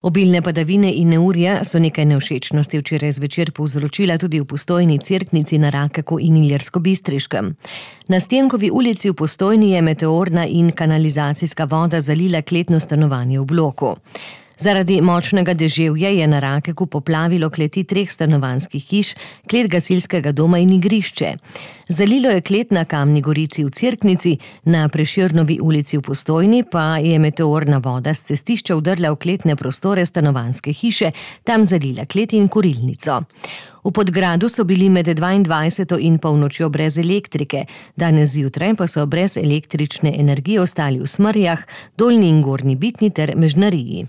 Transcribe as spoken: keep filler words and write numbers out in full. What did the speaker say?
Obilne padavine in neurja so nekaj nevšečnosti včeraj zvečer povzročila tudi v Postojni, Cerknici, na Rakeku in Ilirskobistriškem. Na Stenkovi ulici v Postojni je meteorna in kanalizacijska voda zalila kletno stanovanje v bloku. Zaradi močnega deževja je na Rakeku poplavilo kleti treh stanovanjskih hiš, klet gasilskega doma in igrišče. Zalilo je klet na Kamni Gorici v Cerknici, na Prešernovi ulici v Postojni pa je meteorna voda s cestišča vdrla v kletne prostore stanovanjske hiše, tam zalila klet in kurilnico. V Podgradu so bili med dvaindvajseto in polnočjo brez elektrike, danes zjutraj pa so brez električne energije ostali v Smerjah, Dolnji in Gornji Bitni ter Mežnariji.